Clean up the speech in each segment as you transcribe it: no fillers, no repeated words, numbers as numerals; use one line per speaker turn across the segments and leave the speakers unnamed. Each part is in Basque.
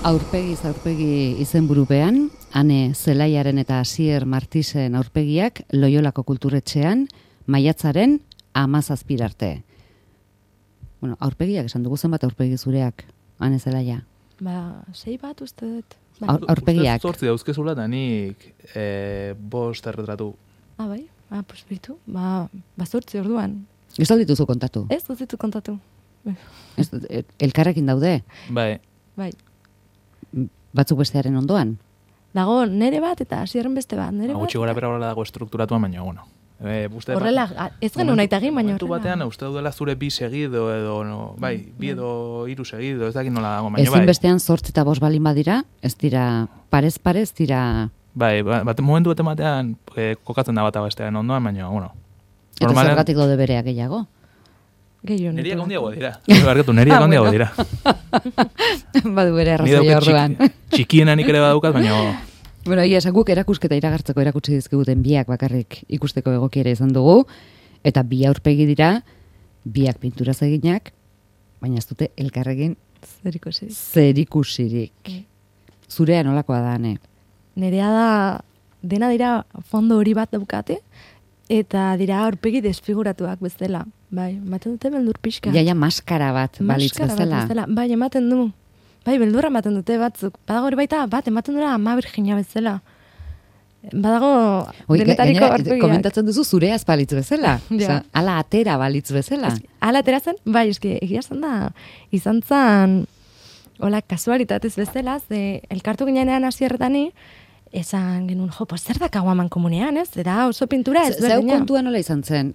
Aurpegi izenburupean, Ane Zelaiaren eta Asier Martisen aurpegiak Loiolako kulturetxean, maiatzaren 17 arte. Bueno, aurpegiak esan dugu zenbat aurpegi zureak, Ane Zelaia?
6 bat uste dut.
Aurpegiak.
Uste 8 dauzkezula eta nik 5 erretratu.
Bai? Pues bitu. 8 orduan.
Ez dut dituzu kontatu?
Ez dut ditu kontatu.
Elkarrekin daude?
Bai.
Batzuk bestearen ondoan?
Dago nere bat eta Asierren beste bat.
Gutxi gora bera dago estrukturatuan, baina, bueno.
Horrela, ez genuen nahi tagin, baina
horrela. Batean, uste daudela zure 2 segido edo, bi edo 3 segido, ez dakit nola dago, baina bai.
Ezin bestean 8 eta 5 balin badira, ez dira, parez, dira...
Bai, momentu bete batean kokatzen da bata bestean ondoan, baina, bueno.
Eta zergatik dode berea gehiago?
Neriak handiago dira. Neriak handiago dira.
Badu bere arrazoia orduan.
Txikienan ere badaukat, baina...
Bueno, esan guk erakusketa iragartzeko erakutsi dizkiguten biak bakarrik ikusteko egokiera izan dugu, eta bi aurpegi dira, biak pinturaz eginak, baina ez dute elkarrekin zerikusirik. Zurea nolakoa da, Ane?
Nerea da, dena dira fondo hori bat daukate, eta dira aurpegi desfiguratuak bezala. Bai, ematen dute beldur pixka.
Jaia maskara bat balitz bezala.
Bai, ematen du. Bai, beldurra ematen dute batzuk. Badago hori baita, bat ematen dura ama Virginia bezala. Badago denetariko aurpegiak.
Komentatzen duzu zureaz balitz bezala. Ja. Ala atera balitz bezala.
Ala atera zen, bai, egia zen da, izan zen, hola, kasualitatez bezala, ze elkartu ginean Asierretani, esan genuen, zer da kaguaman komunean, ez? Eta oso pintura ez berdina.
Zeu kontua nola izan zen?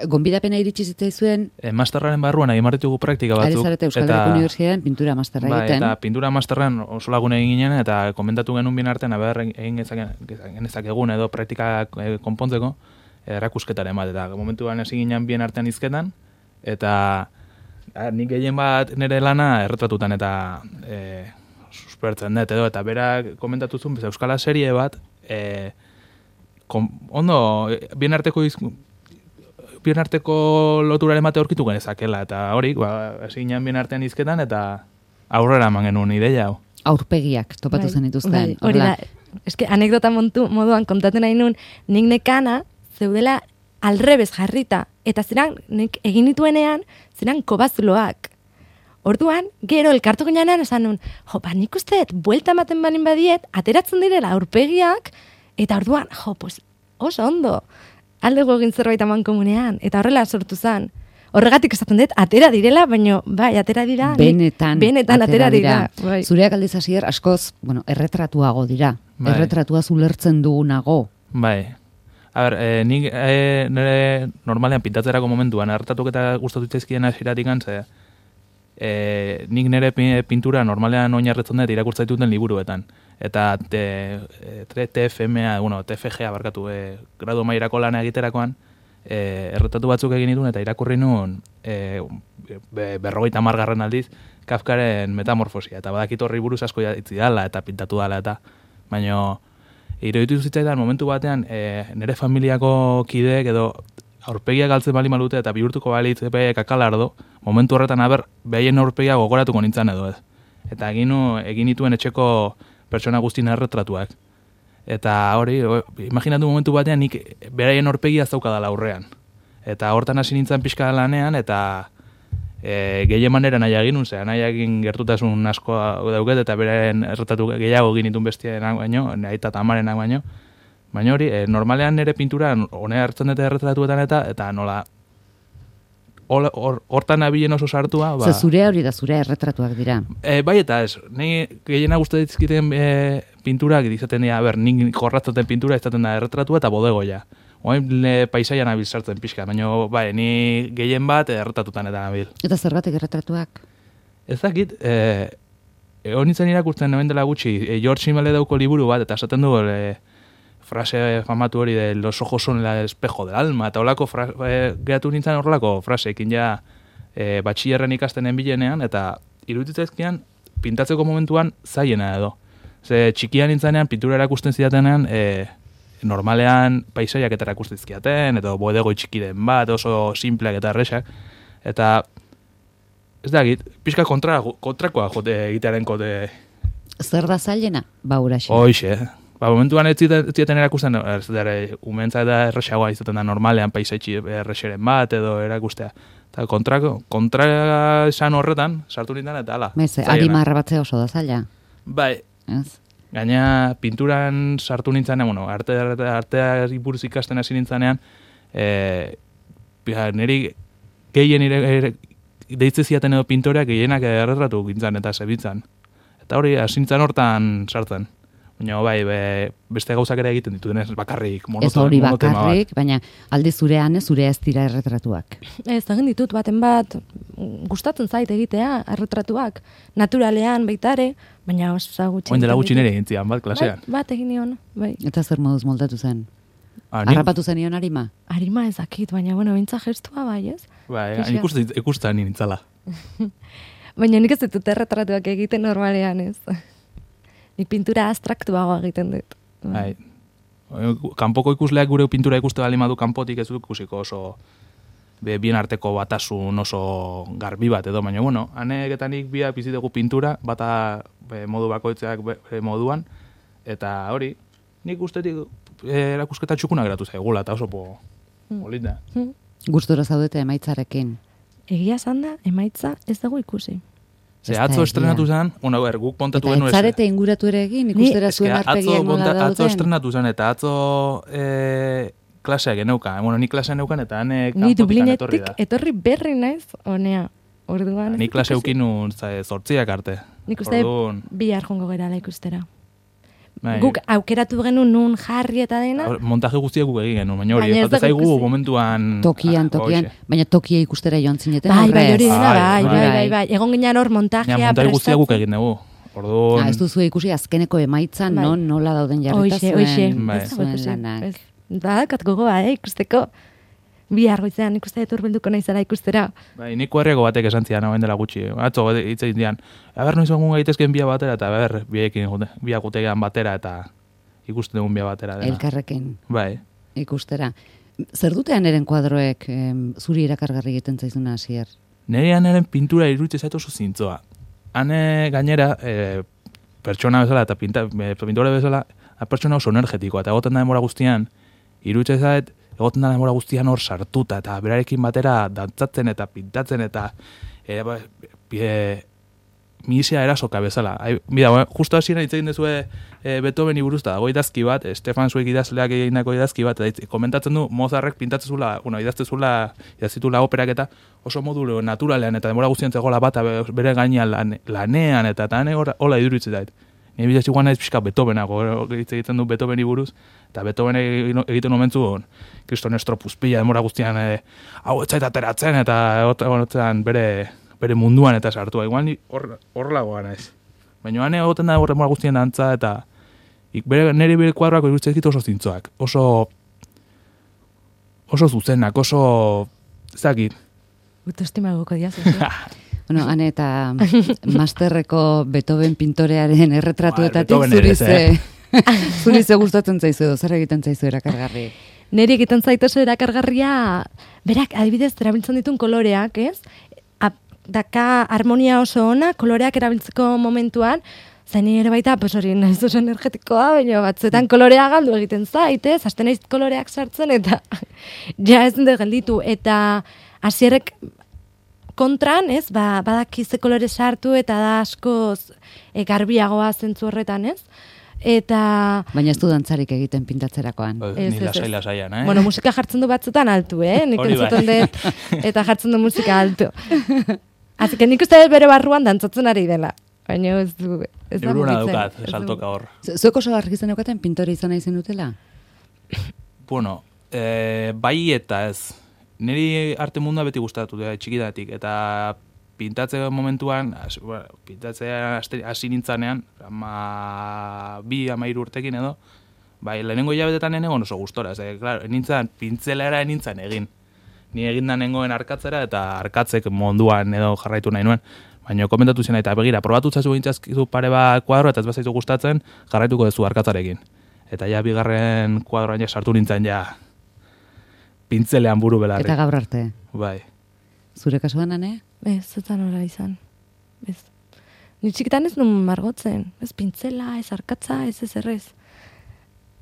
Gonbidapena iritsi zitzaizuen?
Masterraren barruan egin marritugu praktika batzuk.
Ari Euskal Herriko Unibertsitatean pintura masterra egiten.
Eta pintura masterran oso lagun egin ginen, eta komentatu genuen bien artean, egin ezakegun edo praktika konpontzeko, erakusketaren bat. Eta momentuan hasi ginen bien artean izketan, eta nik gehien bat nire lana erretratutan eta... suspertzen dut edo, eta berak komentatu zuen, euskala serie bat, ondo, bien arteko loturaren bate aurkitu genezakela, eta hori, hasi ginen bien artean izketan, eta aurrera eman genuen ideia hau.
Aurpegiak topatu zen dituzten.
Hori da, eske anekdota moduan kontatzen nahi nun, nik nekana zeudela alrebez jarrita, eta zeran, nik egin dituenean, zeran kobazuloak. Orduan, gero elkartu ginean esan nun, nik usteet, buelta ematen balin badiet, ateratzen direla aurpegiak, eta orduan, oso ondo, aldego egin zerbait aman komunean, eta horrela sortu zen. Horregatik esaten dut, atera direla, baina, bai, atera dira. Benetan atera dira. Bai.
Zureak aldiz Asier, askoz, erretratuago dira. Bai. Erretratua zulertzen dugunago.
Bai. A ber, nik nire normalean pintatzerako momentuan, erretatuak eta gustatu itzaizkien Asieratik antzea, nik nire pintura normalean oinarretzen dut irakurtza dituten liburuetan. Eta TFMA, TFGA barkatu, gradu mairako lana egiterakoan, erretatu batzuk egin dituen eta irakurri nuen 50. aldiz Kafkaren Metamorfosia. Eta badakit horri buruz asko itzi dala eta pintatu dala eta, baina iruditu zitzaidan momentu batean nire familiako kideek edo aurpegiak galtzen bali malute eta bihurtuko balitz kakalardo, momentu horretan behaien aurpegia gogoratuko nintzen edo ez. Eta egin dituen etxeko pertsona guztien erretratuak. Eta hori, imaginatu momentu batean nik beraien aurpegia zaukadala aurrean. Eta hortan hasi nintzen pixka lanean, eta gehien manera nahi egin nahi gertutasun asko dauket, eta beraien erretratu gehiago egin dituen bestienak baino, aita eta amarenak baino. Baina hori, normalean nire pintura honea hartzen dute erretratuetan eta nola hortan abilen oso sartua.
Ze zurea hori da, zurea erretratuak dira.
Bai eta ez, nahi gehiena guztatzen pinturak izaten dira, nik jorratzen pintura izaten da erretratua eta bodegoia. Oain paisaian abil sartzen pixka, baina bai, ni gehien bat erretratutan eta nabil. Eta
zergatik erretratuak?
Ez dakit, honitzen irakurtzen hemen dela gutxi, George Simmel dauko liburu bat, eta esaten du frase famatu hori de los ojos son el espejo del alma, eta holako geratu nintzen horrelako fraseekin ja batxillerren ikasten enbilenean, eta iruditzaizkian pintatzeko momentuan zaiena edo. Ze txikian nintzenean, pintura erakusten zidatenean, normalean paisaiak eta erakusten zizkiaten, edo bodego txiki den bat, oso simpleak eta erresak, eta ez da egit, pixka kontrakoa jote egitearen kote
Zer da zailena? Ba, uraxe.
Hoixe. Ba, momentuan ez zieten erakusten, ez dara, umentza da erresagoa izaten da normalean paisaitxi errexeren bat edo erakustea. Eta kontra esan horretan, sartu nintzen eta ala.
Arimarra batzea oso da zaila.
Bai.
Ez?
Gaina pinturan sartu nintzanean, bueno, artea buruz ikasten hasi nintzanean, niri gehien deitze ziaten edo pintoreak gehienak erretratu gintzan eta zebitzan. Eta hori, asintzan hortan sartzen. Baina bai, beste gauzak ere egiten ditudenez bakarrik,
ez hori bakarrik, baina alde zurean zure ez dira erretratuak.
Ez, egin ditut baten bat, gustatzen zait egitea erretratuak, naturalean baitare, baina oso gutxi.
Oin dela gutxi nire egin zian, bat, klasean.
Bat egin nion, bai.
Eta zer moduz moldatu zen? Harrapatu zen nion arima?
Arima ezakit, baina, bueno, bintza gestua bai, ez?
Bai, ikusten nintzala.
Baina nik ez ditut erretratuak egiten normalean, ez? Nik pintura abstraktuago egiten dut.
Bai. Kanpoko ikusleak gure pintura ikuste bali madu kanpotik ez dut ikusiko oso bien arteko batasun oso garbi bat edo, baina bueno, haneketanik biak bizi dugu pintura, bata modu bakoitzeak moduan, eta hori, nik ustetik erakusketa txukuna geratu zaigula, eta oso polita.
Gustora zaudete emaitzarekin?
Egia zanda, emaitza ez dago ikusi.
Ze atzo estrenatu zen, guk kontatu genuen.
Eta etzarete inguratu ere egin, ikustera zuen arpegiak nola dauden.
Atzo estrenatu zen, eta atzo klaseak geneuka. Bueno, ni klasea neukan, eta hanek
kanpotikan etorri da. Etorri berri naiz, honea. Orduan.
Ni klase eukinun 8 arte.
Nik uste bihar jongo gerala ikustera. Guk aukeratu genuen nun jarri eta dena.
Montaje guztiak guk egin genuen, baina hori, ez zaigu momentuan...
Tokian, baina tokia ikustera joan zineten.
Bai, hori dena, bai. Egon ginen hor montajea prestatu.
Montaje guztiak guk egin dugu.
Ez duzu ikusi azkeneko emaitza, nola dauden jarrita zuen lanak.
Kat gogoa, ikusteko. Bihar goizean ikuste dut urbilduko naizela ikustera.
Bai, nik herriako batek esan zian, hauen dela gutxi. Atzo, hitz egin dian, noiz egun gaitezken bia batera, eta biak gutegean batera, eta ikusten dugun bia batera.
Elkarrekin.
Bai.
Ikustera. Zer dutean eren kuadroek zuri erakargarri egiten zaizuna hasier?
Nerean eren pintura iruditze zait oso zintzoa. Hane gainera, pertsona bezala eta pintura bezala, pertsona oso energetikoa, eta egoten da denbora guztian, iruditze zait, egoten da denbora guztian hor sartuta, eta berarekin batera dantzatzen eta pintatzen, eta misea erasoka bezala. Bida, justo hasieran hitz egin dezue Beethoveni buruz, da, dago idazki bat, Stefan Zweig idazleak egindako idazki bat, eta komentatzen du Mozartek pintatzezula, idaztitula operak eta oso modu naturalean, eta denbora guztian zegoela bat, bere gainean lanean, eta hola iduritzen dait. Nire bidez iguan naiz pixka Beethovenago, egiten du Beethoveni buruz, eta Beethoven egiten omentzu Kriston Estropuz pila demora guztian hau etzait ateratzen, eta bere munduan eta sartua. Igual hor lagoa naiz. Baina hane egoten da demora guztian dantza, eta nire bere kuadroak iruditzen ditu oso zintzoak, oso zuzenak, oso zakit.
Autoestima goko diaz,
Bueno, hane eta masterreko Beethoven pintorearen erretratuetatik zurize gustatzen zaizu edo, zer egiten zaizu erakargarri?
Neri egiten zaitu oso erakargarria, berak, adibidez, erabiltzen ditun koloreak, ez? Daka harmonia oso ona, koloreak erabiltzeko momentuan, zain ere baita, hori nahiz oso energetikoa, baina batzuetan kolorea galdu egiten zait, ez? Hasten naiz koloreak sartzen, eta ja ez dut gelditu, eta hasierek kontran, ez, badakize kolore sartu eta da askoz garbiagoa zentzu horretan, ez? Eta...
Baina ez du dantzarik egiten pintatzerakoan.
Ni lasai-lasaian,
Bueno, musika jartzen du batzutan altu, Nik entzuten dut, eta jartzen du musika altu. Así que nik uste bere barruan dantzatzen ari dela. Baina ez du...
Euruna daukat, saltoka hor.
Zuek oso argitzen eukaten pintore izan nahi zen dutela?
Bueno, bai eta ez. Niri arte mundua beti gustatu da txikidatik, eta pintatzea momentuan, pintatzea hasi nintzanean, 2-3 urtekin edo, bai, lehenengo hilabetetan egon oso gustora, nintzen pintzelera nintzen egin. Ni egindan nengoen arkatzera, eta arkatzek munduan edo jarraitu nahi nuen. Baina komentatu zen, eta begira, probatu zazu gintzazkizu pare bat kuadro, eta ez bazaitu gustatzen, jarraituko duzu arkatzarekin. Eta ja, bigarren kuadroan ja sartu nintzen ja, pintzelean buru belarri.
Eta gaur arte.
Bai.
Zure kasuan, ane?
Ez, zetan hori izan. Ez. Ni txikitan ez nun margotzen, ez pintzela, ez arkatza, ez errez.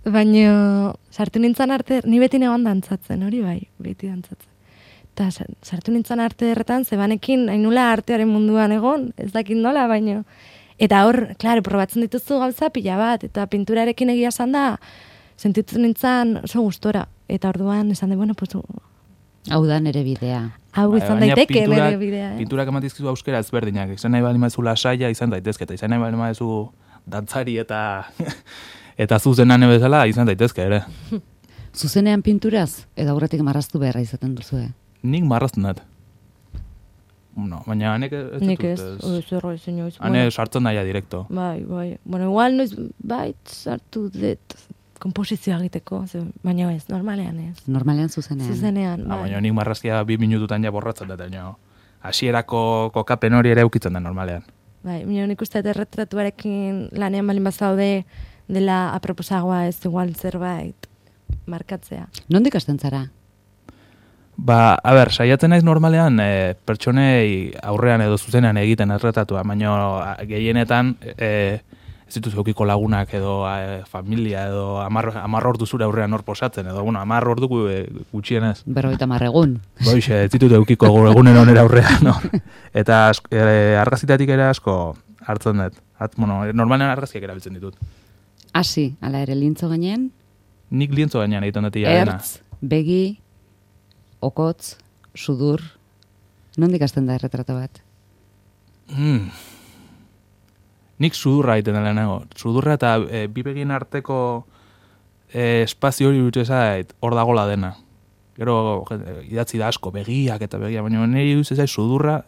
Baina sartu nintzen arte, ni beti negoan dantzatzen, hori bai, beti dantzatzen. Eta sartu nintzen arte erretan, zebanekin, hain nula artearen munduan egon, ez dakit nola, baina. Eta hor, klaro, probatzen dituzu gauza pila bat, eta pinturarekin egia esan da, sentitzen nintzen oso gustora. Eta orduan, esan de, bueno, pues...
Hau da nere bidea.
Hau izan daiteke nere bidea.
Pinturak ematizkizu euskera ezberdinak, izan nahi bali mazu lasaia izan daitezke, eta izan nahi bali mazu dantzari eta zuzenan bezala izan daitezke ere.
Zuzenean pinturaz, edo aurretik marraztu beharra izaten duzu,
Nik marrazten dut. No, baina hanek ez dut.
Nik ez, zerro ez inoiz.
Hane sartzen daia direkto.
Bai. Bueno, igual noiz sartu dut komposizioa egiteko, baina ez, normalean ez.
Normalean zuzenean.
Zuzenean, bai.
Baina nik marrazkia 2 minututan ja borratzen dut, hasierako kokapen hori ere ukitzen da normalean.
Bai, baina nik uste erretratuarekin lanean balin bazaude dela aproposagoa ez igual zerbait markatzea.
Nondik hasten zara?
Ba, saiatzen naiz normalean pertsonei aurrean edo zuzenean egiten erretatua, baina gehienetan ez dituzu eukiko lagunak edo familia edo 10 ordu zure aurrean hor posatzen, edo, 10 ordu gutxienez.
50 egun.
Boixe, ez ditut eukiko egunen onera aurrean, no? Eta argazitatik ere asko hartzen dut. Normalean argazkiak erabiltzen ditut.
Hasi, ala ere, lintzo gainean?
Nik lientzo gainean egiten dut dena.
Ertz, begi, okotz, sudur. Nondik hasten da erretrato bat?
Nik sudurra egiten dela nago. Sudurra eta bi begien arteko espazio hori dut ezait hor dagola dena. Gero idatzi da asko, begiak eta begia, baina niri duz ezait sudurra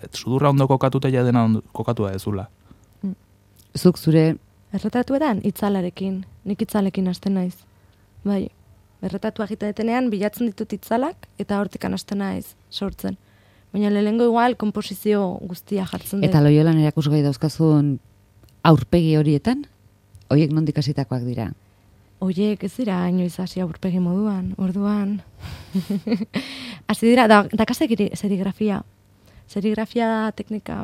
ondo kokatuta ja dena kokatua dezula.
Zuk zure...
Erretratuetan, itzalarekin. Nik itzalekin hasten naiz. Bai, erretratua egiten detenean bilatzen ditut itzalak eta hortikan hasten naiz sortzen. Baina lehengo igual komposizio guztia jartzen dut.
Eta Loiolan erakusgai dauzkazun aurpegi horietan, horiek nondik hasitakoak dira?
Horiek ez dira inoiz hasi aurpegi moduan, orduan. Hasi dira, daka serigrafia. Serigrafia da teknika,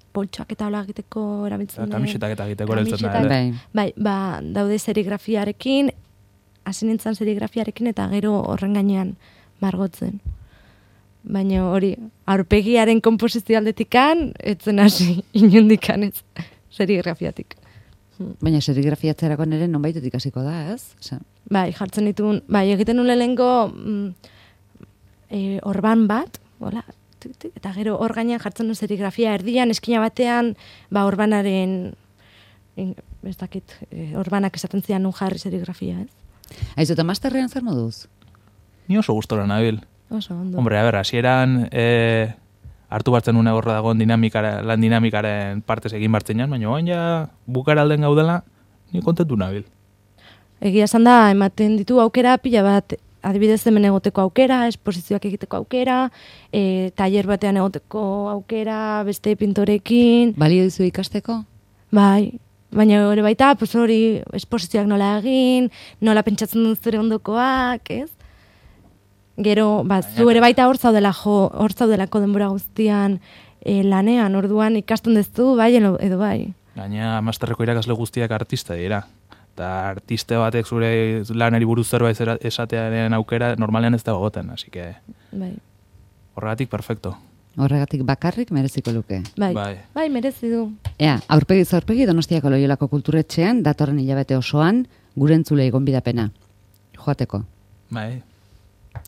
poltsoak eta hola egiteko erabiltzen da.
Kamisetak eta egiteko erabiltzen da.
Bai, daude serigrafiarekin, hasi nintzen serigrafiarekin eta gero horren gainean margotzen. Baina hori, aurpegiaren komposizio aldetikan, etzen hasi inundikan ez serigrafiatik.
Baina serigrafiatzerako nire nonbaitetik hasiko da, ez?
Bai, jartzen ditun, egiten nuen lehengo orban bat, hola, eta gero hor gainean jartzen duen serigrafia erdian, eskina batean, orbanaren, ez dakit, orbanak esaten zian nun jarri serigrafia, ez?
Aizu, eta masterrean zer moduz?
Ni oso gustora nabil.
Oso ondo.
Hombre, hasieran hartu bartzen une horra dagoen lan dinamikaren partez egin bartzen jan, baina oain ja bukara alden gaudela, ni kontentu nabil.
Egia esan da, ematen ditu aukera pila bat, adibidez hemen egoteko aukera, esposizioak egiteko aukera, tailer batean egoteko aukera, beste pintorekin.
Balio dizu ikasteko?
Bai, baina hori baita, pues hori esposizioak nola egin, nola pentsatzen dut zure ondokoak, ez? Gero, zu ere baita hor zaudelako denbora guztian lanean, orduan ikasten dezu, bai edo bai.
Gaina masterreko irakasle guztiak artista dira. Eta artiste batek zure lanari buruz zerbait esatearen aukera normalean ez da gogoten, así que...
Bai.
Horregatik perfecto.
Horregatik bakarrik mereziko luke.
Bai, merezi du.
Aurpegi Donostiako Loiolako Kulturetxean, datorren hilabete osoan, gure entzulei gonbidapena. Joateko.
Bai.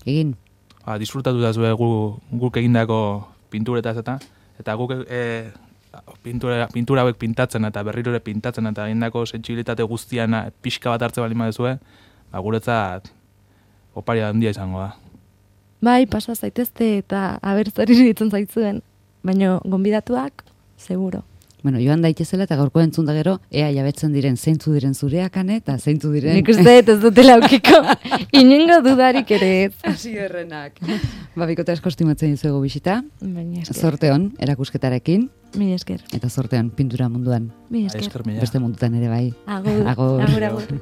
Egin.
Disfrutatu da zue guk egindako pinturetaz eta guk pintura hauek pintatzen eta berriro ere pintatzen eta egindako sentsibilitate guztian pixka bat hartze balin badezue, guretzat oparia handia izango da.
Bai, pasa zaitezte eta abertzari ditzen zaitzuen, baina gonbidatuak, seguro.
Bueno, joan daitezela eta gaurko entzun da gero, ea jabetzen diren zeintzu diren zureak eta zeintzu diren...
Nik uste ez dutela aukiko, inengo dudarik ere ez.
Hasi errenak. Bikote asko estimatzen dizuegu bisita.
Baina
Zorte hon, erakusketarekin.
Mila esker.
Eta zorte hon, pintura munduan.
Mila esker.
Beste mundutan ere bai.
Agur.